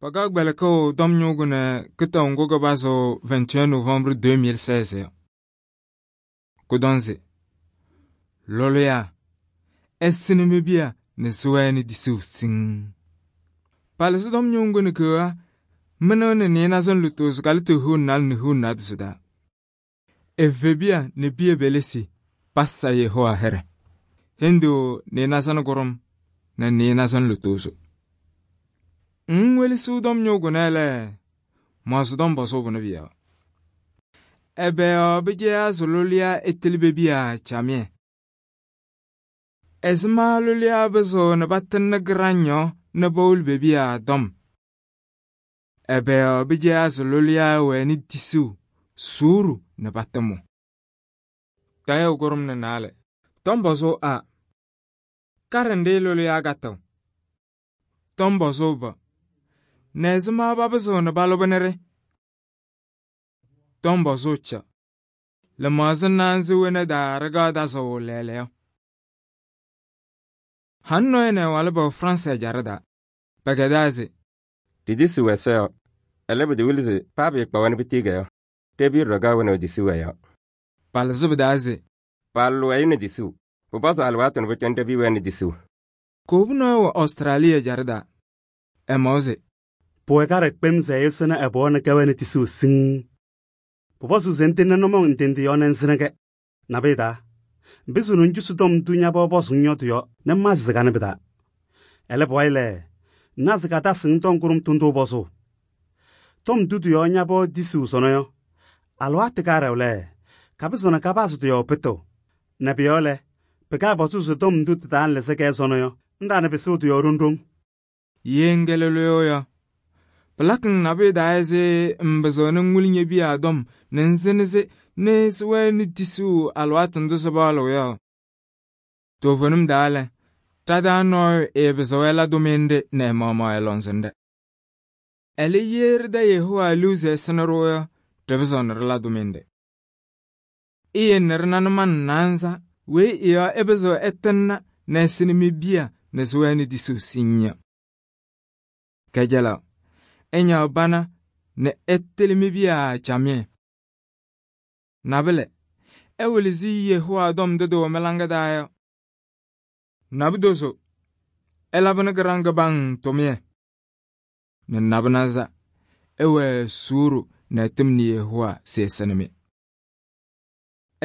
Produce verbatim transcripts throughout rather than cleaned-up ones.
Paka gbelekʋʋ tɔm ñʋʋ nɛ kɩtaʋ ŋgʋ kɩpazɩɣ vingt et un novembre deux mille seize yɔ. Kʋdɔnzɩ lɔlɔyaa ɛsɩnɩ mi-piya nɛ sɩwɛɛnɩ disuu siŋŋ. Palɩzɩ tɔm ñʋʋ ŋgʋ nɛ keɣa mɩnɩɣ nɛ nɩɩnaza lutozo kalɩtɩ huun naalɛ nɛ huun naadozo daa. Evebiya nɛ piya pelesi pasa Yehowa hɩɖɛ. Hendu nɩɩnaza nɛ kʋɖʋm nɛ nɩɩnaza nɛ lutozo. Ŋwelesiɣ tɔm ñʋʋ kʋnɛ lɛ, maɣzɩ tɔm bɔzʋʋ bʋnɛ bɩ yɔ. Ɛbɛ yɔ bɩjayaa sɩ lʋlɩyaa ɛtɩlɩ be-piya camɩyɛ? Ɛzɩma lʋlɩyaa bɩzɩɣ nɛ patɩŋnɩ gɩraŋ yɔ nɛ pawolo be-piya tɔm? Ɛbɛ yɔ bɩjayaa sɩ lʋlɩyaa wɛnɩ tisuu, suuru nɛ patɩmʋ? Tayʋʋ kʋɖʋm nɛ naalɛ. Tɔm bɔzʋʋ A. Karɩndɩ lʋlɩyaa katɩɣ. Tɔm bɔzʋʋ B. Nɛ ɛzɩma papɩzɩɣ nɛ palʋbɩ nɩ-ɖɩ? Tɔm bɔzʋʋ C. Lɩmaɣzɩ naanzɩ wena daa ɖɩkaɣ tazɩɣ lɛɛlɛɛyɔ. Han nɔɔyɛ nɛ ɛwalɩ bɛwɛ Fransɩ ɛjaɖɛ daa. Pɛkɛdaa se: Didisuu Ɛsɔ yɔ, ɛlɛ pɩtɩwɩlɩ se paa pɩɩkpawa nɛ pɩtɩɩgɛ yɔ, ɖɛ-piya ɖɔga wɛnaɣ disuu ɛ-yɔɔ. Palɩzɩ bɩ-taa se: Paalʋlɩ wɛyʋ nɛ disuu, pʋpɔzɩ alɩwaatʋ nɛ pʋcɔ ɖɛ-piya wɛnɩ disuu. Koobu nɔɔyɛ wɛ Ɔstrali ɛjaɖɛ daa. Ɛmaɣʋ se: Pʋwɛ kaɖɛ kpem se ɛyʋsɩnɩ ɛ-pɔɔ nɛ kɛwɛnɩ tisuu siŋŋ. Pʋpɔzʋʋ se ŋtɩŋnɩ nʋmɔŋ ŋtɩŋtɩ yɔ nɛ ŋsɩnɩ-kɛ. Nabɩyɛ taa, ŋpɩzɩɣ nɛ ŋcusi tɔm ndʋ ña-pɔɔ pɔzʋŋ yɔ tɩ-yɔɔ nɛ ŋmasɩ sɩ kanɩ pɩ-taa. Ɛlɛ pʋwayɩ lɛ, ŋna se katasɩ ŋtɔŋ kʋɖʋm tʋ ndʋ pɔzʋʋ. Tɔm ndʋ tɩ-yɔɔ ña-pɔɔ tisuu sɔnɔ yɔ, alɩwaatʋ kaɖɛʋ lɛ, kapɩzɩɣ nɛ kapazɩ tɩ-yɔɔ pɩtɩɣ. Nɛ pʋ-yɔɔ lɛ, pɩkaapɔzʋʋ se tɔm ndʋ tɩtaanlɩzɩ-kɛ sɔnɔ yɔ, ŋɖaanɩ pɩsɩɣ tɩ-yɔɔ ɖoŋ-ɖoŋ. Ye ŋkɛ lʋlʋyʋ yɔ, pɩlakɩ-ŋ nabɩyɛ daa ɛzɩ ŋbɩzɩɣ nɛ ŋwɩlɩ ñe-piya tɔm nɛ ŋsɩnɩ-sɩ nɛ sɩwɛɛnɩ tisuu alɩwaatʋ ndʋ sɩpaɣlɩɣ yɔ. Toovenim daa lɛ, tadaa nɔɔyʋ ɛɛpɩzɩɣ ɛla tʋmɩyɛ nɛ ɛ-maɣmaɣ ɛ-lɔŋsɩnɖɛ. Ɛlɛ ye ɖɩda Yehowa liu se ɛsɩnɩ-ɖʋ yɔ, ɖɩpɩzɩɣ nɛ ɖɩla tʋmɩyɛ. Ɩyɩ nɛ ɖɩna nʋmɔŋ naanza weyi ɩ-yɔɔ ɛpɩzɩɣ ɛtɩŋna nɛ ɛsɩnɩ mi-piya nɛ sɩwɛɛnɩ disuu siŋŋ yɔ. Kɛjɛlɛɣ, ɛñaɣ bana nɛ ɛtɩlɩ mi-piya camɩyɛ. Nabɩlɛ, ɛwɩlɩzɩ Yehowa tɔm ndʋ tɩwɛ mɩ-laŋa daa yɔ. Nabɩdozo, ɛlabɩnɩ gɩraŋ kɩbaŋ tʋmɩyɛ. Nɛ nabɩnaza, ɛwɛ suuru nɛ ɛtɩmnɩ Yehowa se ɛsɩnɩ-mɩ.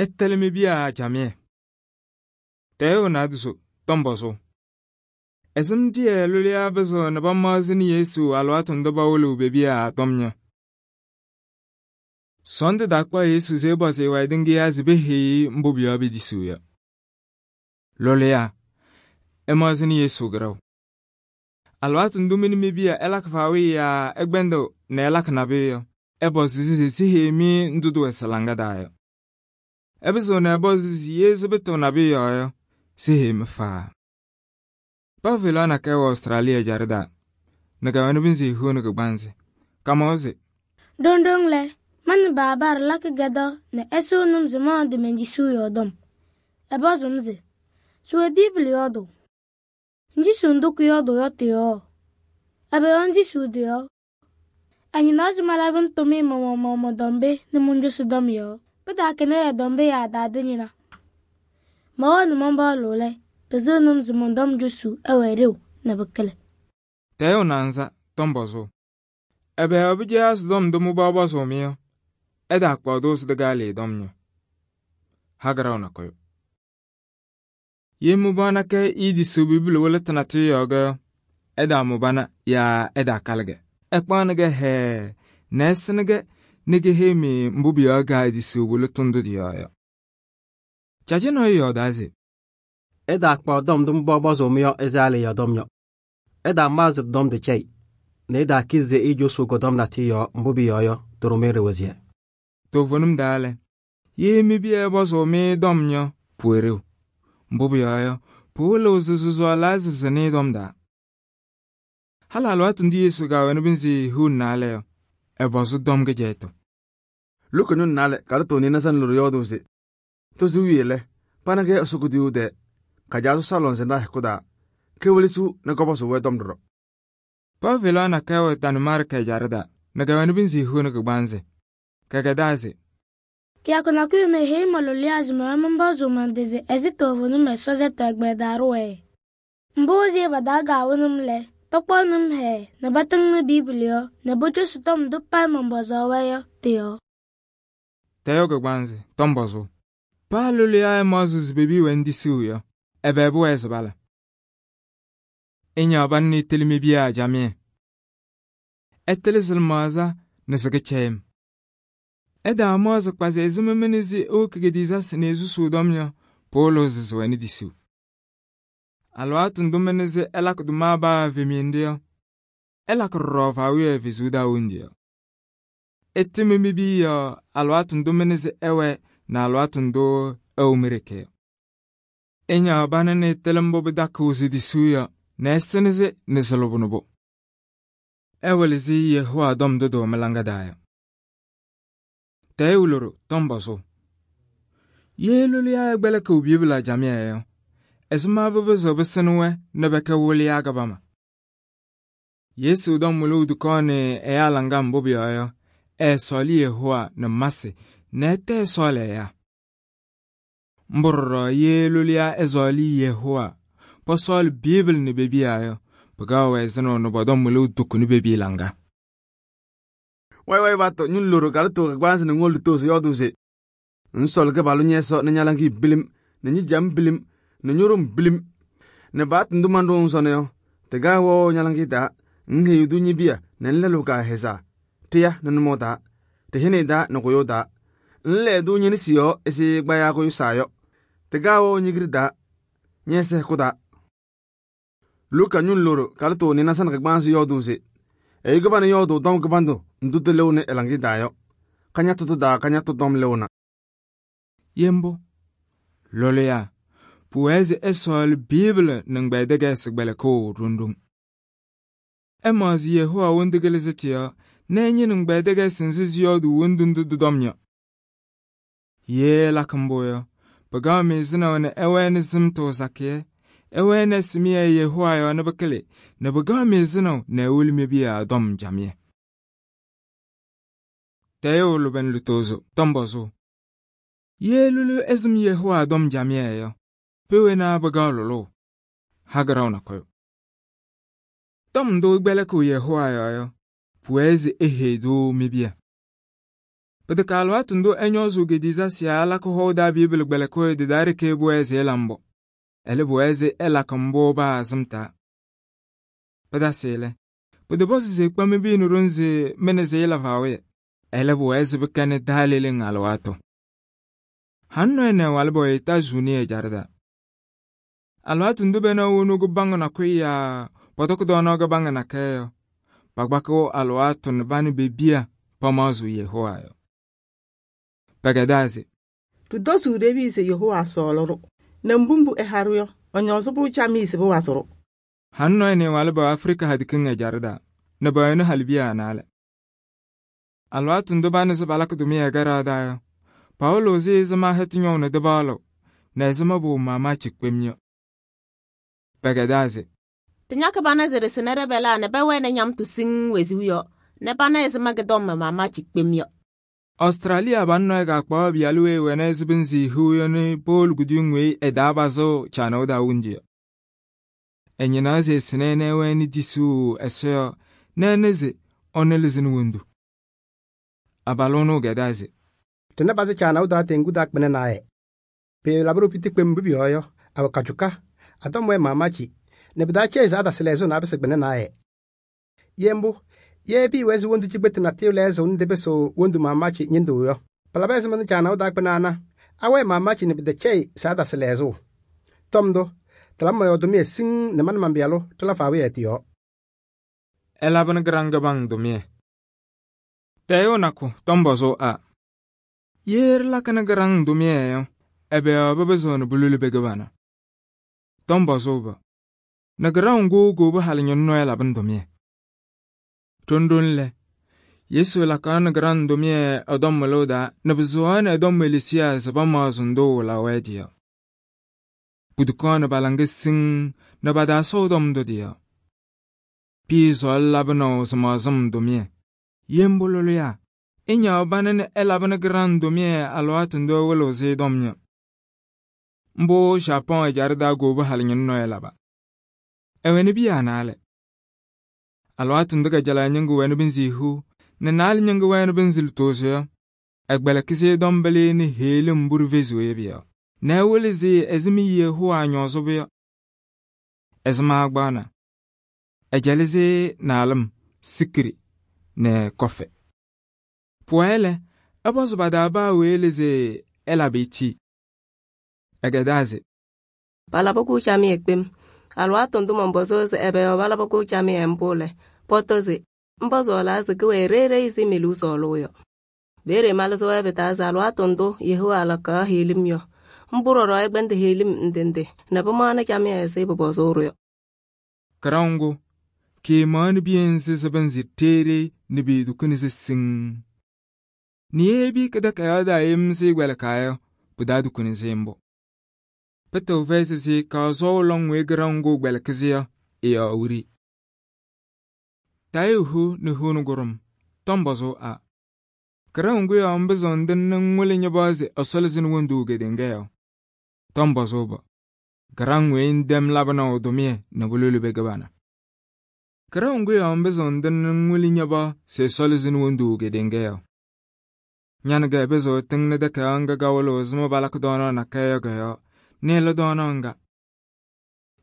Ɛtɩlɩ mi-piya camɩyɛ. Tayʋʋ naadozo, tɔm bɔzʋʋ. Ɛsɩm tɩyɛ lʋlɩyaa bɩzɩɣ nɛ pamaɣzɩnɩ Yesu alɩwaatʋ ndʋ pawɩlɩɣ be-piya tɔm yɔ. Sɔɔndʋ dakpa Yesu se ɛpɔzɩ ɩ-wɛ ɩdɩŋɩyaa se peheyi mbʋ pʋ-yɔɔ pedisuu yɔ. Lʋlɩyaa ɛmaɣzɩnɩ Yesu gɩrɛʋ. Alɩwaatʋ ndʋ mɩ nɛ mi-piya ɛlakɩ faawɩyɛ yaa ɛgbɛndɩɣ nɛ ɛlakɩ nabɩyɛ yɔ, ɛpɔzɩ se siheyi-mɩ ndʋ tɩwɛ sɩ-laŋa daa yɔ. Ɛpɩzɩɣ nɛ ɛpɔzɩ se ye sɩbɩtɩɣ nabɩyɛ yɔɔ yɔ, siheyi-mɩ faa. Pavelaɣ nakɛyɛ wɛ Ɔstrali ɛjaɖɛ daa, nɛ kɛwɛnɩ bɩnzɩ hiu nɛ kɩgbansɩ. Kamaɣʋ se: Doŋdoŋ lɛ, ma nɛ baaba ɖɩlakɩ gɛdaɣ nɛ ɛsɩɣnɩ-m se ma dɩ men-disuu yɔɔ dɔm. Ɛpɔzɩ-m se: sɩwɛ Biibli yɔɔdʋʋ? Ŋdisuu ndʋ kʋyɔɔdʋʋ yɔ tɩ-yɔɔ? Ɛbɛ yɔɔ ŋdisuu tɩ-yɔɔ? Ɛnyɩnaɣ se malabɩnɩ tʋmɩyɛ ma-maɣmaɣ mɔn-dɔmbɩ nɛ mɔnjʋsɩ dɔm yɔɔ. Pɩtaakɩnɩ ɛ-dɔmbɩ yaa daadɩ-ñɩna. Mawɛɛ nɛ mɔnbɔɔlʋ lɛ, pɩzɩɣnɩ-m se mɔn-dɔm jʋsʋ ɛwɛ ɖeu nɛ bɩkɩlɛ. Tayʋʋ naanza, tɔm bɔzʋʋ. Ɛbɛ yɔ bɩjayaa sɩ tɔm ndʋ mɩ-pɔɔ pɔzʋʋ-mɩ yɔ, ɛdaakpaɣʋ-tʋ sɩ tɩ-gaalɩɩ tɔm yɔ. Hagɩraɣʋ nakɔyʋ. Ye mɩ-pɔɔ nakɛ ɩɩdisuu Bibli wɩlɩtɩ natʋyʋ yɔɔ-gɛ yɔ, ɛdaamʋ-bana yaa ɛdaakalɩ-gɛ. Ɛkpaɣnɩ-gɛ hɛɛ nɛ ɛsɩnɩ-gɛ nɛ keheyi-mɩ mbʋ pʋ-yɔɔ gaa disuu wɩlɩtʋ ndʋ tɩ-yɔɔ yɔ. Cajɩ nɔɔyʋ yɔɔdaa se: ɛdaakpaɣ tɔm ndʋ mɩ-pɔɔ pɔzʋʋ-mɩ yɔ ɛzaalɩ yɔ tɔm yɔ. Ɛdaamaɣzɩ tɩ-tɔm tɩ-cɛyɩ nɛ ɛdaakɩ se ɩjʋsʋ kʋ-tɔm natʋyʋ yɔɔ mbʋ pʋ-yɔɔ yɔ tʋrʋmɩ ɖɩwɩzɩɛ. Toovenim daa lɛ, ye mi-piya ɛpɔzʋʋ-mɩ tɔm yɔ, pʋwɛ ɖeu. Mbʋ pʋ-yɔɔ yɔ, pɩwɩlɩɣ se sɩ-sɔɔlaa sɩsɩnɩ tɔm daa. Halɩ alɩwaatʋ ndʋ Yesu kaawɛnɩ bɩnzɩ hiu nɛ naalɛ yɔ, ɛpɔzɩ tɔm kɩjɛyɩtʋ. Lʋkɔ ñʋ naalɛ kalɩtɩ nɩɩnaza nɛ lʋrʋ yɔɔdʋʋ se: tozo wiye lɛ, pana-kɛ Ɛsɔ kuduyuu tɛɛ, kajaa sɔsɔ lɔŋsɩnɖaa hɛkʋ daa, kewelesiɣ nɛ kɔpɔzʋʋ-wɛ tɔm ɖɔɖɔ. Pavela na kawa tan marka jarda. Nagawan binzi huna kagbanze. Kagadaze. Kia kuna kuyo me hei maloliazi me mambazo mandeze ezito vunu me sozeta gbedaruwe. Mbozi badaga wunum le. Pakwanum he. Na batang biblio. Na bocho sutom dupai mambazo weyo. Tiyo. Tayo kagbanze. Tombozo. Palolia mazuz bebi wendi suyo. Ebebu ezbala. Inya banni tilmi biya jamie. Ettelizil maza nisige chem. Eda maza kwaze ezumemenizi okigedizas nezu sudomya polo zizweni disu. Alwatu ndumenizi elak dumaba vimiendia. Elak rovawiye vizuda undia. Ettimimi biya alwatu ndumenizi ewe na alwatu ndo eumirike. Inya banani telembo bidakuzi disuya nesenizi nisalubunubo. Ewelizi Yehua dom dodo melangadaya. Tayuluru tomboso. Yelulia egbeleke ubibla jamia. Esma bebezo besenwe nebeke wulia gabama. Yesu dom mulu dukone eyalanga mbobia e soli Yehua ne masi ne te sole ya. Mburro yelulia ezoli Yehua po sol Bible ne bebia Pagawe zeno no bodom mulu dukuni bebi langa. Wai wai bato nyun loro kalto kagbanze ne ngol to so yodu se. Nsol ke balu nyeso ne nyalangi bilim, ne nyi jam bilim, ne nyorum bilim. Ne bat ndumando nsone yo. Tega wo nyalangi da, nge yudu nyibia ne nlelu ka heza. Tiya ne numo da, te hene da ne koyo da. Nle du nyini siyo esi gbaya koyo sayo. Tega wo nyigri da, nyese kuda. Luka nyun loro kalto ni nasan kagbanze yodu se. E gabana yodu dom gabando ndutu lewne elangi dayo. Kanya tutu da kanya tutu dom lewna. Yembo. Loleya. Puwezi esol Bible nangbaidege sigbele ko rundum. Emazi Yehua wondigele zetiya. Nenye nangbaidege sinzizi yodu wondundudu domnya. Ye lakamboya. Pagame zina wane ewe zimto zakie. Ewe ne simiya Yehua yo nabakele. Nabagame zina ne ulimi biya dom jamye. Tayo luben lutozo, tombozo. Ye lulu ezim Yehua dom jamye yo. Pewe na bagalolo. Hagaraw na koyo. Tom do gbeleku Yehua yo yo. Puwezi ehe do mibia. Pedekalwatu ndo enyozu gediza siya alako hoda Bible gbeleku didari ke buwezi elambo. Ele buwezi elakambo ba azimta. Pedasele. Pedebosi ze kwa mibi nurunzi meneze elavawe. Ele buwezi bikane dalile ngalwato. Hanno ene walbo ita zuni e jarda. Alwatu ndube na unugu bango na kuya. Potoku dono ga bango na keyo. Pagbako alwatu nbani bebia pamazu Yehua yo. Pagadazi. Tudosu rebi se Yehua soloro. Nambumbu eharuyo. Onyozubu chami se bu wasoro. Hanno ene walbo Afrika hadikinga jarda. Nabayana halbiya anale. Alwatu ndubani zabalak dumiya gara dayo. Paulo zi zama hetinyo na debalo. Na zama bu mama chikpemnyo. Pagadazi. Tinyaka bana zere senere bela ne bewe ne nyam tu sing weziyo. Ne bana ezama gedom mama chikpemnyo. Australia banno ga kwa bialwe wene zibinzi huyo ni Paul gudungwe edabazo chano da unji. Enyinaze sinene weni disu esyo neneze onelizin wundu. Abalono gadaze. Tena baze chana da tengu dak bene nae. Pe labro piti kwembi yoyo awakachuka atomwe mamachi ne bidache za da selezo na bese bene nae. Yembu ye bi wezi wondu chibet na tilezo unde beso wondu mamachi nyendo yo. Palabeze man chana dak banana awe mamachi ne bidache sa da selezo. Tomdo Talama yodomie sing ne man mambialo talafawe etiyo. Elaban granga bang domie. Tayo nako tombozo a. Yer lakana grang domie yo. Ebe ababezo na bululu begabana. Tombozo ba. Na grang go go ba halinyon no elaban domie. Tundun le. Yesu lakana grang domie adom meloda na bezoan adom melisia sabama zondo la wedia. Budukana balangis sing na bada sodom do dia. pii sol labɩnaʋ sɩmaɣzɩm tʋmɩyɛ. Yembu lʋlʋyaa, ɩñaɣ banɩ nɛ ɛlabɩnɩ gɩraŋ tʋmɩyɛ alɩwaatʋ ndʋ ɛwɩlɩɣ-sɩ dɔm yɔ. Mbʋ Japɔn ɛjaɖɛ taa goobu halɩñɩnɩ nɔɔyɛ laba. Ɛwɛnɩ biya naalɛ. Alɩwaatʋ ndʋ kajalaɣ ñɩŋgʋ wɛnɩ bɩ nzɩ hiu nɛ naalɛ ñɩŋgʋ wɛnɩ bɩ nzɩ lʋtʋʋsɩ yɔ, ɛgbɛlɛkɩ-sɩ dɔmbɛlɩ nɛ heɣlim mbʋ ɖɩveziɣ yɔ pʋ-yɔɔ, nɛ ɛwɩlɩ-sɩ ɛzɩma Yehowa ñɔɔzʋbʋ yɔ. Ɛzɩma agbaɣna, ɛjɛlɩ-sɩ naalɩm, sikiri nɛ kɔfɛ. Pʋwayɛ lɛ, ɛpɔzɩ pa-taa paa weyi lɛ se ɛlabɩ eti. Ɛgɛdaa se: palabɩ-kʋ camɩyɛ kpem. Alɩwaatʋ ndʋ mɔnpɔzɩɣ se ɛbɛ yɔɔ palabɩ-kʋ camɩyɛ mbʋ lɛ, pɔtɔ se mpɔzɔɔlaa se kɩwɛɛ reere ɛzɩ me-liu sɔɔlʋʋ yɔ. Peeye malɩzɩ-wɛ pɩ-taa se alɩwaatʋ ndʋ Yehowa lakaɣ heɣlim yɔ, mbʋ ɖɔɖɔ ɛkpɛndɩ heɣlim ndɩ ndɩ nɛ pɩmaɣnɩ camɩyɛ ɛzɩ pʋpɔzʋʋ-ɖʋ yɔ. Kɩraŋ ŋgʋ, kɩɩmaɣnɩ biya nzɩ sɩbɩ nzɩ teere nɛ beedukuni-sɩ siŋ. Nɛ ye bi-kɩdɛkɛdɛɛ daa yem sɩ gbɛlɩkaa yɔ, pɩ-taa dukuni-sɩ mbʋ. Pɩtɩɣ fɛyɩ sɩ ka sɔɔ lɔŋ weyi kɩraŋ ŋgʋ gbɛlɩkɩ-sɩ yɔ, ɩ-yɔɔ wiri. Tayɩ hu nɛ hu nʋ gʋrʋm, tɔmbɔzʋ a. Kɩraŋ ŋgʋ yɔɔ mbɩzɩɣ ndɩnɩ ŋwɩlɩ ñɩbaɣ se Ɛsɔ lɩzɩnɩ wondu kedeŋa yɔ. Tɔmbɔzʋ bɔ, kɩraŋ weyi ndɛm labɩnaʋ tʋmɩyɛ nɛ bʋlʋlɩ be kɩbana. Kɩraŋ ŋgʋ yɔɔ mbɩzɩɣ ndɩnɩ ŋwɩlɩ ñɩbaɣ se Ɛsɔ lɩzɩnɩ wondu kedeŋa yɔ. Ñanɩgɛ bɩzɩɣ tɩŋnɩ dɛkɛdɛɛ ŋga kawɩlɩɣ ɛzɩma balakɩ dɔɔnaɣ nakɛyɛ yɔ kɛ-yɔɔ, nɩɩlɩ dɔɔnaɣ ŋga.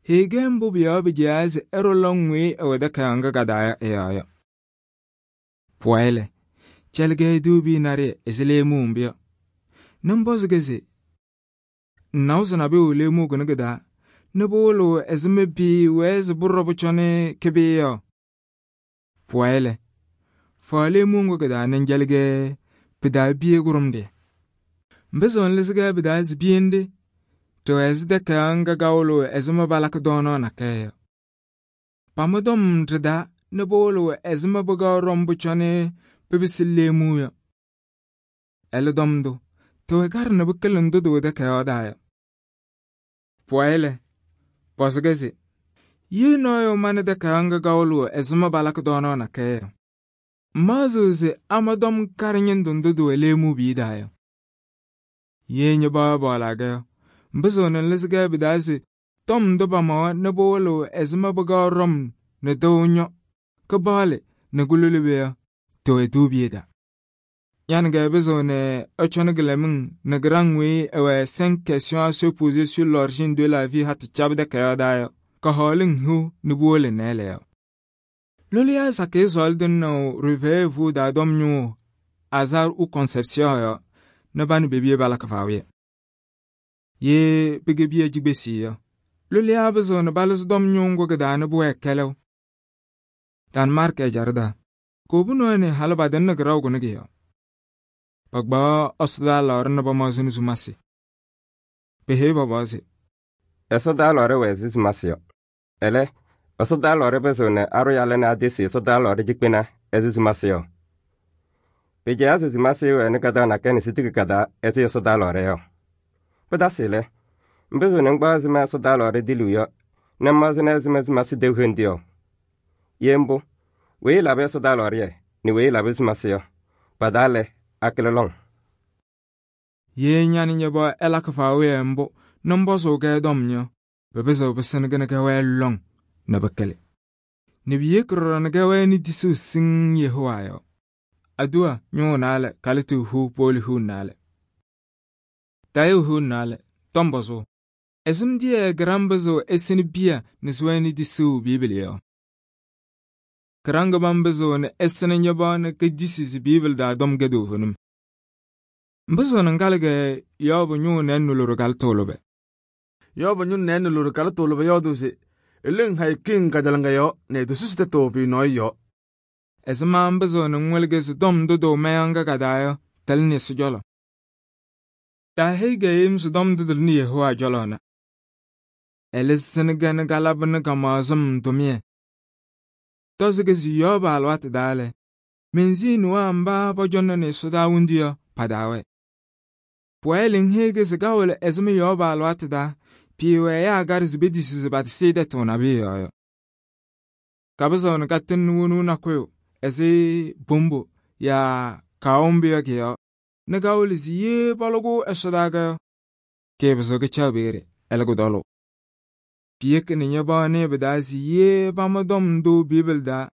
Heege mbʋ bʋ-yɔɔ bɩ-jɛya se ɛrʋ lɔŋ weyi ɛwɛ dɛkɛdɛɛ ŋga ka-daa yɔ ɩ-yɔɔ yɔ. Pʋwayɛ lɛ, cɛlɩgɛ duubi narɩyɛ ɛzɩ leemuu mbʋ yɔ. Nɩ mbɔzɩ-gɛ se: naʋ sɩ nabɩyʋ leemuu kʋnɩ kɩ-daa, nɩ bʋwɩlɩɣ ɛzɩma pɩɩwɛɛ sɩ bʋrɔ bʋcɔnɩ kɩbɩ yɔ. Pʋwayɛ lɛ, faɣ leemuu ŋgʋ kɩ-daa nɩ njɛlɩgɛ pɩ-taa biye kʋrʋm dɩya. Mbɩzɩɣ nlɩzɩ-gɛ pɩ-taa se biye nde tɩwɛ ɛzɩ dɛkɛdɛɛ ŋga kawɩlɩɣ ɛzɩma balakɩ dɔɔnaɣ nakɛyɛ yɔ. Pamʋ dɔm ɖɩ-daa nɩ bʋwɩlɩɣ ɛzɩma bʋga rɔm bʋcɔnɩ pɩbɩsɩ leemuu yɔ. Ɛlɛ dɔm ndʋ, tɩwɛ karɩ nɛ bɩkɩlɩ ndʋ dɩwɛ dɛkɛdɛɛ daa yɔ. Pʋwayɛ lɛ, pɔzɩ-gɛ se: ye nɔɔyʋ manɩ dɛkɛdɛɛ ŋga kawɩlɩɣ ɛzɩma balakɩ dɔɔnaɣ nakɛyɛ yɔ, mmaɣzɩɣ se ama dɔm karɩ ñɩndʋ ndʋ dɩwɛ leemuu bii daa yɔ. Ye ñɩbaɣ bɔɔlagɛ yɔ, mbɩzɩɣ nɩ nlɩzɩ-gɛ pɩ-taa se tɔm ndʋ pamawa nɩ bʋwɩlɩɣ ɛzɩma bʋga rɔm nɛ dɩwʋ nyɔ, kɩbaɣlɩ nɛ kʋlʋlɩ be yɔ, tɩwɛ duubiye daa. Ñanɩgɛ bɩzɩɣ nɛ ɛcɔnɩ kɩlɛmɩŋ nɛ gɩraŋ weyi ɛwɛ cinq questions à se poser sur l'origine de la vie hatɩ cabɩ dɛkɛdɛɛ daa yɔ, ka hɔɔlɩŋ hiu nɩ bʋwɩlɩ nɛɛlɛ yɔ. Lʋlɩya sakɩ sɔɔlɩ dɩnnaʋ réveillez-vous daa dɔm ñʋʋ hasard ou conception yɔ, nɩ ba nɩ bebiye balakɩ faawɩyɛ. Ye bɩgɛ biya jigbesi yɔ, lʋlɩya bɩzɩɣ nɩ balɩzɩ dɔm ñʋʋ ŋgʋ kɩ-daa nɩ bʋwɛɛ kɛlɛw. Danmark ɛjaɖɛ daa, koobu nɔɔyɛ nɩ halɩ badɩnɩ kɩraw kʋnɩ kɩ yɔ. Pagbaɣ Ɛsɔ lɔɔrɩ nɩ bamaɣzɩnɩ zumasɩ. Peheyi bɔbɔ se: Ɛsɔdaa lɔɔrɩ wɛ ɛzɩ zumasɩ yɔ. Ɛlɛ, ɛsɔdaa lɔɔrɩ bɩzɩɣ nɛ arʋ yalɛ nɛ adesi ɛsɔdaa lɔɔrɩ jikpena ɛzɩ zumasɩ yɔ. Pɩjɛya se zumasɩ wɛnɩ kadaɣ nakɛ nɛ sitiki kadaa ɛzɩ ɛsɔdaa lɔɔrɩ yɔ. Pɩtasɩ lɛ, mbɩzɩɣ nɩ ŋgbaɣ ɛzɩma ɛsɔdaa lɔɔrɩ dɩlɩw yɔ, nɛ mmaɣzɩnɩ ɛzɩma zumasɩ dew hendi yɔ. Ye mbʋ, weyi labɩ ɛsɔdaa lɔɔrɩyɛ nɛ weyi labɩ zumasɩ yɔ, pa-daa lɛ akɩlɩ lɔŋ. Ye ñanɩ ñɩbaɣ ɛlakɩ faawɩyɛ mbʋ nɩ mbɔzʋʋ-gɛ dɔm yɔ, bɩbɩzɩɣ bɩsɩnɩ-gɛ nɩ kɛwɛɛ lɔŋ nɛ bɩkɩlɩ. Nɛ biyeki ɖɔɖɔ nɩ kɛwɛɛ nɩ disɩɣ siŋ Yehowa yɔ. Aduwa ñʋʋ naalɛ kalɩtɩ hu pooli hu naalɛ. Tayɩ hu naalɛ, tɔmbɔzʋ. Ɛzɩm dɩyɛ gɩraŋ bɩzɩɣ ɛsɩnɩ biya nɩ sɩwɛɛ nɩ disɩɣ Biibli yɔ. Kɩraŋ gɩban bɩzɩɣ nɩ ɛsɩnɩ ñɩbaɣ nɩ ka disi sɩ Biibli daa dɔm gɛ doovunim. Mbɩzɩɣ nɩ ngalɩgɛ Yɔɔbʋ ñʋʋ nɛɛ nʋlʋrʋ kalɩ tʋʋlʋbɛ. Yɔɔbʋ ñʋ nɛɛ nʋlʋrʋ kalɩ tʋʋlʋbɛ yɔɔdʋ se eleŋ hay kiŋ kadalanga yɔ nɛ dʋsʋsɩ tɛtʋ pɩ nɔɔyɩ yɔ. Ɛzɩma mbɩzɩɣ nɩ ŋwɩlɩgɛ sɩ dɔm ndʋ dɩwɛ mɛyã ŋga ka-daa yɔ tɛlɩ nɩ Ɛsɔ jɔlɔ. Taahɩɩ-gɛ yem sɩ dɔm ndʋ dɩlɩ nɩ Yehowa jɔlɔ na. Ɛlɩsɩnɩ-gɛ nɩ galabɩnɩ ka-maɣzɩm tʋmɩyɛ. Tɔzɩ-gɛ sɩ Yɔɔbʋ alɩwaatʋ daa lɛ, menziin waa mba bɔjɔnɩ nɩ Ɛsɔdaa wundu yɔ pa-daawɛ. Pʋwayɛ lɛ ŋheege sɩ gawɩlɩ ɛzɩma Yɔɔbʋ alɩwaatʋ daa, pɩɩwɛ ɛyaa garɩ sɩ bedisi sɩ batɩsɩ dɛtʋ nabɩyɛ yɔ yɔ. kabɩsʋʋ nɩ ka tɩŋnɩ wonu nakʋyʋ ɛzɩ bombo yaa kawʋmbɩ yɔ kɩ-yɔɔ nɩ ka wɩlɩ se yee pɔlʋ-kʋ ɛsɔdaa yɔ, kɩɩpɩzɩɣ kɩcaɣ peeye ɛlɛ kʋdɔlʋ. Piyeki nɩ ña-bɔɔnɩ bɩ-taa se yee pama tɔm ndʋ Biibili taa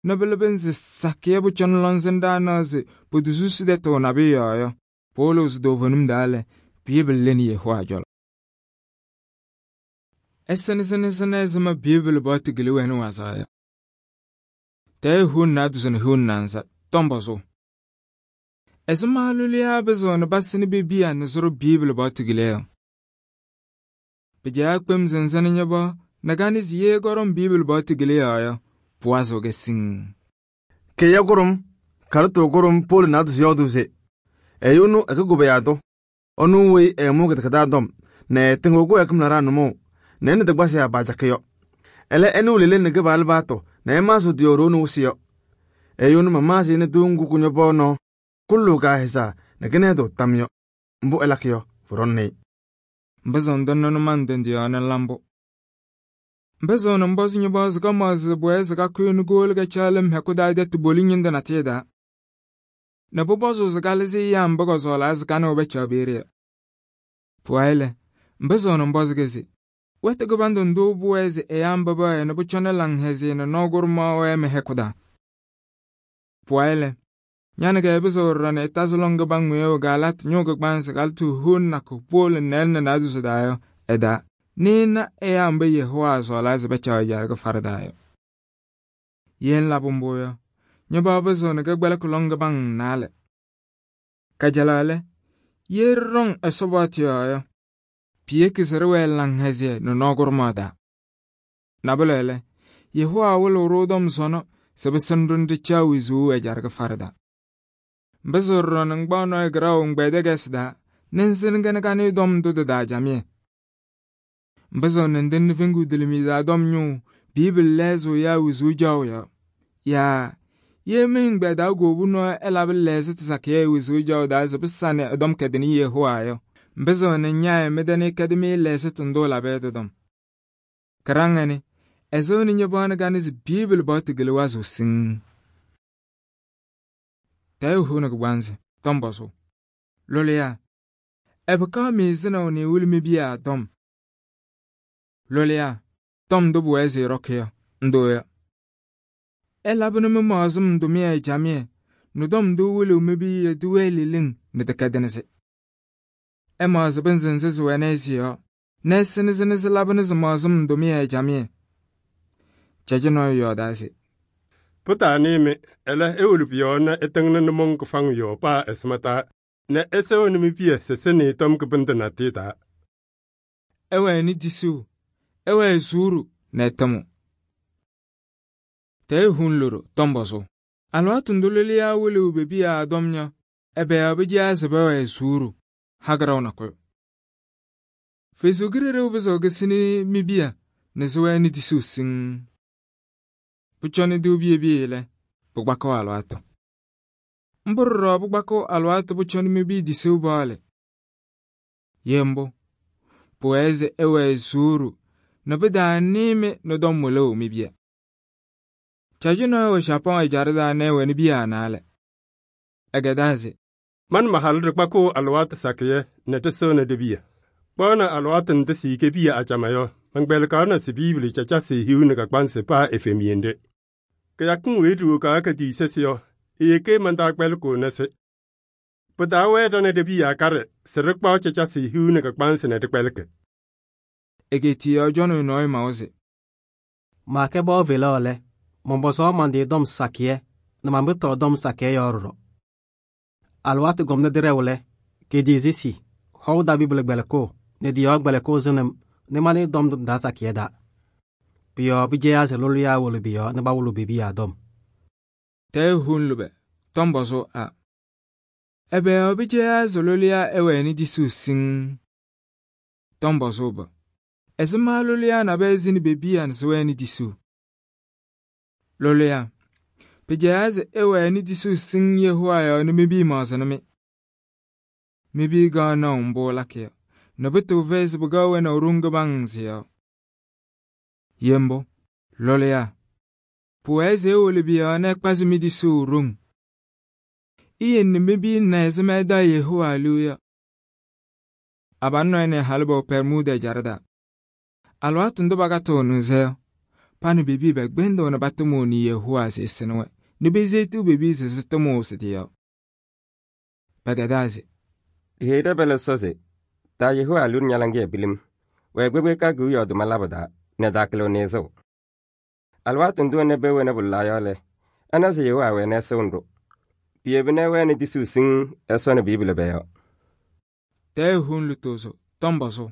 nɛ pɩlɩbɩ nzɩ sakɩyɛ pʋcɔ nɩ lɔŋsɩnɖaa naɣ se pʋdʋ-susi tɛtʋ nabɩyɛ yɔɔ yɔ, pʋwɩlɩɣ se toovenim daa lɛ, Biibili lɩnɩ Yehowa cɔlɔ. Ɛsɩnɩ sɩnɩ sɩnɩ ɛzɩma Biibili paɣtʋ gɩlɩ wɛnɩ wazaɣ yɔ. Tɛɛ huun naadʋzɩ nɩ huun naanza, tɔm pɔzʋʋ. Ɛzɩma lʋlɩyaa bɩzɩɣ nɩ ba sɩnɩ be-piya nɩ sʋrʋ Biibili paɣtʋ gɩlɩ yɔ. Pɩjaɣ kpem zɩnzɩnɩ ña-bɔɔ nɛ ka nɩ se yee kɔɖɔm Biibili paɣtʋ gɩlɩ yɔɔ yɔ, pʋwazɩɣ kɛ siŋ. Kɩyɛ gʋrʋm, karɩtʋ gʋrʋm Poolu naadʋzɩ yɔɔdʋʋ se ɛyʋ ɛnʋ ɛkɩgʋbɩyaadʋ, ɛnʋ weyi ɛɛmʋ kɩdɩkɩdaa dɔm nɛ ɛtɩŋɩɣ kɩwɛɛkɩm laɖaa nʋmɔʋ nɛ ɛ nɩ dɩgbasɩ abaajakɩ yɔ. Ɛlɛ ɛnɩ lele nɩ Kɩpaɣlʋ baatʋ nɛ ɛmaasɩɣ tɩ-yɔɔ ɖoo nɩ wɩsɩ yɔ. Ɛyʋ ɛnʋ mamaasɩ nɩ tɩʋ ŋgʋ kʋ-ñɔpɔɔ nɔɔ kʋlʋ kaahɩsaa nɛ kɩnɛɛdʋ tam yɔ. Mbʋ ɛlakɩ yɔ, pʋɖɔŋnɩ-ɩ. Mbɩzɩɣ ndɩnɩ nʋma ndɩ yɔɔ nɩ la mbʋ. Mbɩzɩɣ nɩ mbɔzɩ ña-bɔɔ se ka maɣzɩ bʋyɛ se ka kʋyɩ nɩ goolu ka caɣ lɩm hɛkʋ daa dɛtʋ boli ñɩndʋ natɩyɛ daa. Nɛ pʋpɔzʋʋ se ka lɩzɩ yaam mbʋ kɔzɔɔlaa se ka nɩ wɛ bɛcaɣ peeye yɔ. Pʋwayɩ lɛ, mbɩzɩɣ nɩ mbɔzɩ se wɛtʋ kɩbandʋ ndʋ bʋwɛɛ se ɛyaa mba bɛwɛɛ nɩ bʋ cɔnɩ laŋhɛzɩyɛ nɩ nɔɔ gʋrʋmaɣ wɛɛ mɛ hɛkʋ daa. Pʋwayɩ lɛ, ñanɩ kɛ bɩzɩɣ ɖɔɖɔ nɛ ɛtazɩ lɔŋ kɩbaŋ ŋʋyɛɛwʋ Gaalatɩ ñʋʋ kɩgbansɩ kalɩtʋ huun nakʋ Poolu nɛɛlɩ nɛ naadʋzɩ daa yɔ ɛdaa nɩɩna ɛyaa mba Yehowa sɔɔlaa se bɛcaɣ ɛjaarɩ kɩfarɩ daa yɔ. Yee ŋlabɩ mbʋ yɔ, ña-bɔɔ bɩzɩɣ nɩ kɩgbɛlɩkɩ lɔŋ kɩbaŋ naalɛ. Kajalaɣ lɛ, yee ɖɩɖɔŋ Ɛsɔ paɣtʋ yɔɔ yɔ, piyeki se ɖɩwɛɛ laŋhɛzɩyɛ nɩ nɔɔ gʋrʋmaɣ daa. Nabʋlɛ lɛ, Yehowa wɩlɩɣ-ɖʋ tɔm sɔnɔ se pɩsɩnɩ-ɖʋ nɛ ɖɩcaɣ wezuu ɛjaarɩ kɩfarɩ daa. Mbɩzɩɣ ɖɔɖɔ nɩ ŋgbaɣ nɔɔyʋ kɩraɣʋ ŋgbɛɛdɛgɛsɩ daa nɛ ŋsɩnɩ-kɛ nɩ ka nɩɩ dɔm ndʋ dɩ-daa jamɩyɛ. Mbɩzɩɣ nɩ ndɩnɩ feŋgu dilimi daa dɔm ñʋʋ Biibili lɛɛzɩɣ yaa wezuu jaɣʋ yɔ, yaa yee mɩ ŋgbɛɛdaa goobu nɔɔ ɛlabɩ lɛɛzɩ tɩ sakɩyɛ wezuu jaɣʋ daa se bɩ sanɩ ɛ-dɔm kɛdɩnɩ Yehowa yɔ, mbɩzɩɣ nɩ ñaayɛ mɩ-dɛnɩ kɛdɩ-mɩ lɛɛzɩ tɩ ndʋ labɩyɛ dɩ-dɔm. Kɩraŋ ɛnɩ, ɛzɩɣ nɩ ña-bɔɔ nɩ ka nɩ se Biibili paɣtʋ gɩlɩ wazɩɣ siŋ. Tɛɛ huunɩ kɩgbansɩ, tɔm pɔzʋʋ. Lʋlɩyaa, ɛbɩkaɣ mɩɩzɩnaɣ nɩ wɩlɩ mi-piya tɔm. Lʋlɩyaa, tɔm ndʋ bʋwɛɛ se yɩrɔkɩ yɔ, ndʋ yɔ. Ɛlabɩnɩ mɩ-maɣzɩm tʋmɩyɛ jamɩyɛ nʋ tɔm ndʋ wɩlɩɣ mi-piya tɩ wɛɛ leleŋ nɩ tɩ kɛdɩnɩ-sɩ. Ɛmaɣzɩ bɩ nzɩnzɩ sɩ wɛnɛ sɩ yɔ, nɛ ɛsɩnɩ sɩnɩ sɩ labɩnɩ sɩ maɣzɩm tʋmɩyɛ jamɩyɛ. Cɛjɩ nɔɔyʋ yɔɔdaa se: Pʋtaanɩ-mɩ, ɛlɛ ewolo pʋ-yɔɔ nɛ ɩtɩŋnɩ nʋmɔŋ kɩfaŋ yɔɔ paa ɛsɩma taa nɛ ɛsɛɣnɩ mi-piya sɩ sɩnɩ tɔm kɩbɩndʋ natɩyɛ taa. Ɛwɛnɩ disuu, ɛwɛɛ zuuru nɛ ɛtɩmʋ. Tɛɛ huun lodo, tɔm pɔzʋʋ. Alɩwaatʋ ndʋ lʋlɩyaa wɩlɩɣ be-piya dɔm yɔ, ɛbɛyɔɔ bɩ jɩyaa se bɛwɛɛ zuuru hagɩraw nakʋyʋ. Fesu-Kirɩɖɩɣ bɩzɩɣ kɩsɩnɩ mi-piya nɩ sɩ wɛɛnɩ disuu siŋ. Pʋcɔnɩ dɩw biye-biye lɛ, pʋgbakɩɣ alɩwaatʋ. Mbʋ ɖɔɖɔ pʋgbakɩɣ alɩwaatʋ pʋcɔnɩ mi-piya disuu bɔɔlɩ. Yee mbʋ, pʋwɛɛ se ɛwɛɛ zuuru nɛ bɩ-daa nɩɩ-mɩ nʋ dɔm wɩlɩɣ mi-piya. Cɛjɩ nɔɔyʋ wɛ Japɔŋ ɛjaarɩ daa nɛ ɛwɛnɩ biya naalɛ. Ɛgɛdaa se: Man mahalʋ dɩkpakɩɣ alɩwaatʋ sakɩyɛ nɛ tɩ sɩɣnɩ dɩ-piya. Kpaɣnɩ alɩwaatʋ ndɩ sɩ-yike piya acama yɔ, man-gbɛlɩkaɣnɩ sɩ Biibili cacasɩ hiu nɩ kakpansɩ paa efem yende. Kɩyakɩŋ weyi ɖɩwɔ kaa ka diisɛsɩ yɔ, eyeke man-taa kpɛlɩkʋʋ nɛ sɩ. Pɩ-taa wɛɛ ɖɔnɩ dɩ-piya karɩ sɩ ɖɩkpaɣ cacasɩ hiu nɩ kakpansɩ nɛ dɩkpɛlɩkɩ. Egetiya jɔnɩ nɔɔyʋ mawa se: Maakɛ bɔɔ velaɣ lɛ, mɔmbɔsɔɔ mandɩ dɔm sakɩyɛ nɛ mambɩtɔɔ dɔm sakɩyɛ yɔɔ ɖɔɖɔ. Alɩwaatʋ gɔmnɩ dɩrɛʋ lɛ, kediisi si, hɔʋ da Biibili gbɛlɩkʋʋ nɛ dɩ-yɔɔ gbɛlɩkʋʋ zɩnɩm nɩ manɩ dɔm dɩ daa sakɩyɛ daa. Pʋ-yɔɔ bɩ jɛyaa se lʋlɩyaa wolo bɩ-yɔɔ nɩ ba wʋlʋ be-piya dɔm. Tɛɛ huun lʋbɛ, tɔm pɔzʋʋ a. Ɛbɛyɔɔ bɩ jɛyaa se lʋlɩyaa ɛwɛnɩ disuu siŋ. Tɔm pɔzʋʋ bɔ, ɛzɩma lʋlɩyaa nabɛyɛ zɩnɩ be-piya nɩ sɩ wɛɛnɩ disuu. Lʋlɩyaa, pɩjɛyaa se ɛwɛnɩ disuu siŋ Yehowa yɔɔ nɩ mi-piya maɣzɩnɩ-mɩ. Mi-piya gaɣ naʋ mbʋ lakɩ yɔ, nɛ bɩ tɩ vɛɛ se bɩ-gaɣ wɛnaʋ roŋ kɩbaŋ sɩ yɔ. Yembʋ, lʋlɩyaa, Pʋwɛɛ se ewolo biya nɛ ɛkpazɩ mɩ-tisuu ɖoŋ. Iyen nɛ mebi na ɛzɩma ɛdaɣ Yehowa liu yɔ. Abalʋ nɔɔyʋ nɛ halʋ bɛwɛ Permuda ɛjaɖɛ taa. Alɩwaatʋ ndʋ bakatʋʋnɩ-sɛ yɔ, pa nɛ bebi bɛkpɛndɩɣ nɛ batʋmʋʋnɩ Yehowa se ɛsɩnɩ-wɛ nɛ bezetu bebi se sɩtʋmʋʋ sɩ-tɩ yɔ. Pɛkɛdaa se: Ɖiheyi ɖɛ-pɛlɛ Ɛsɔ se: taa Yehowa liu ña-laŋɩyɛ pilim, wɛɛ kpekpe kewiyaɣ yɔɔdʋma labʋ taa nɛ taakɩlɩɣ nɩɩzʋʋ. Alɩwaatʋ ndʋ ɛnɛ pewena bʋlɩla yɔ lɛ, ɛna se Yehowa wɛnɩ ɛsɩɣ-ɖʋ. Piyebi nɛ ɛwɛnɩ tisuu siŋŋ Ɛsɔ nɛ Biibili bɛ-yɔɔ. Tɛɛ huun lutozo tɔm bɔzʋʋ.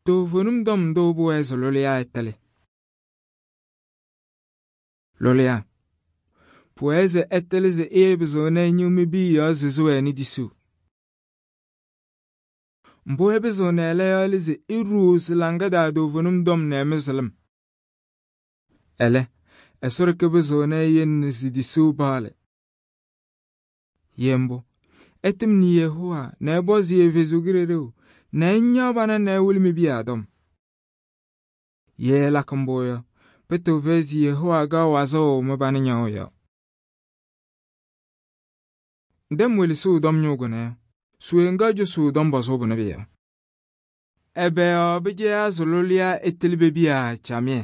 Toovenim tɔm ndʋ pʋwɛɛ se lʋlɩyaa ɛtɛlɩ. Lʋlɩyaa pʋwɛɛ se ɛtɛlɩ se ɩyɛbɩzɩɣ nɛ ɛnyɩw mɩ-bii yɔ zɩzɩ wɛnɩ tisuu. Mbʋ ɛbɩzɩɣ nɛ ɛlɛ yɔ lɛ se ɩɖuu sɩ-laŋa daa toovenim tɔm nɛ ɛmɩzɩlɩm. Ɛlɛ, Ɛsɔ ɖeke bɩzɩɣ nɛ ɛyele sɩ-tisuu paɣlɩ. Yɛ mbʋ, ɛtɩmnɩ Yehowa nɛ ɛpɔzɩ Ɛfɛsɩ Kalɩzaɣ nɛ ɛnyaɣ bana nɛ ɛwɩlɩ mɩ-biya tɔm. Ye ɛlakɩ mbʋ yɔ, pʋtʋ fɛyɛ se Yehowa kaɣ wazʋʋ mɩ-bana nyaɣʋ yɔ. Ndɛm welesɩɣ tɔm ñʋʋ kʋnɛ yɔ, suwe ŋga jʋsʋʋ tɔm bɔzʋʋ bʋnɛ bɩ yɔ. Ɛbɛ yɔ bɩjɛya sɩ lʋlɩyaa ɛtɛlɩ be-biya camɩyɛ.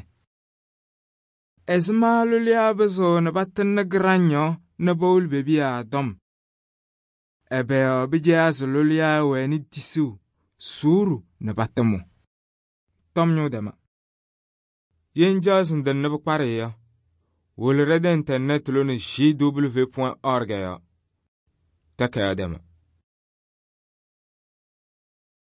Ɛzɩma lʋlɩyaa bɩzɩɣ nɛ batɩnɩ gɩraŋ yɔ nɛ bawʋlɩ be-biya tɔm. Ɛbɛ yɔ bɩjɛya sɩ lʋlɩyaa wɛnɩ tisuu, suuru nɛ batɩmʋ. Tɔm ñʋʋ dɛma. Yen jaɣ sɩ ndɩnɩ bɩ-kparɩ yɔ, wolo ɖɛ-dɛ internet lʋnɩ j w point org yɔ. Tɛkɛya dɛma.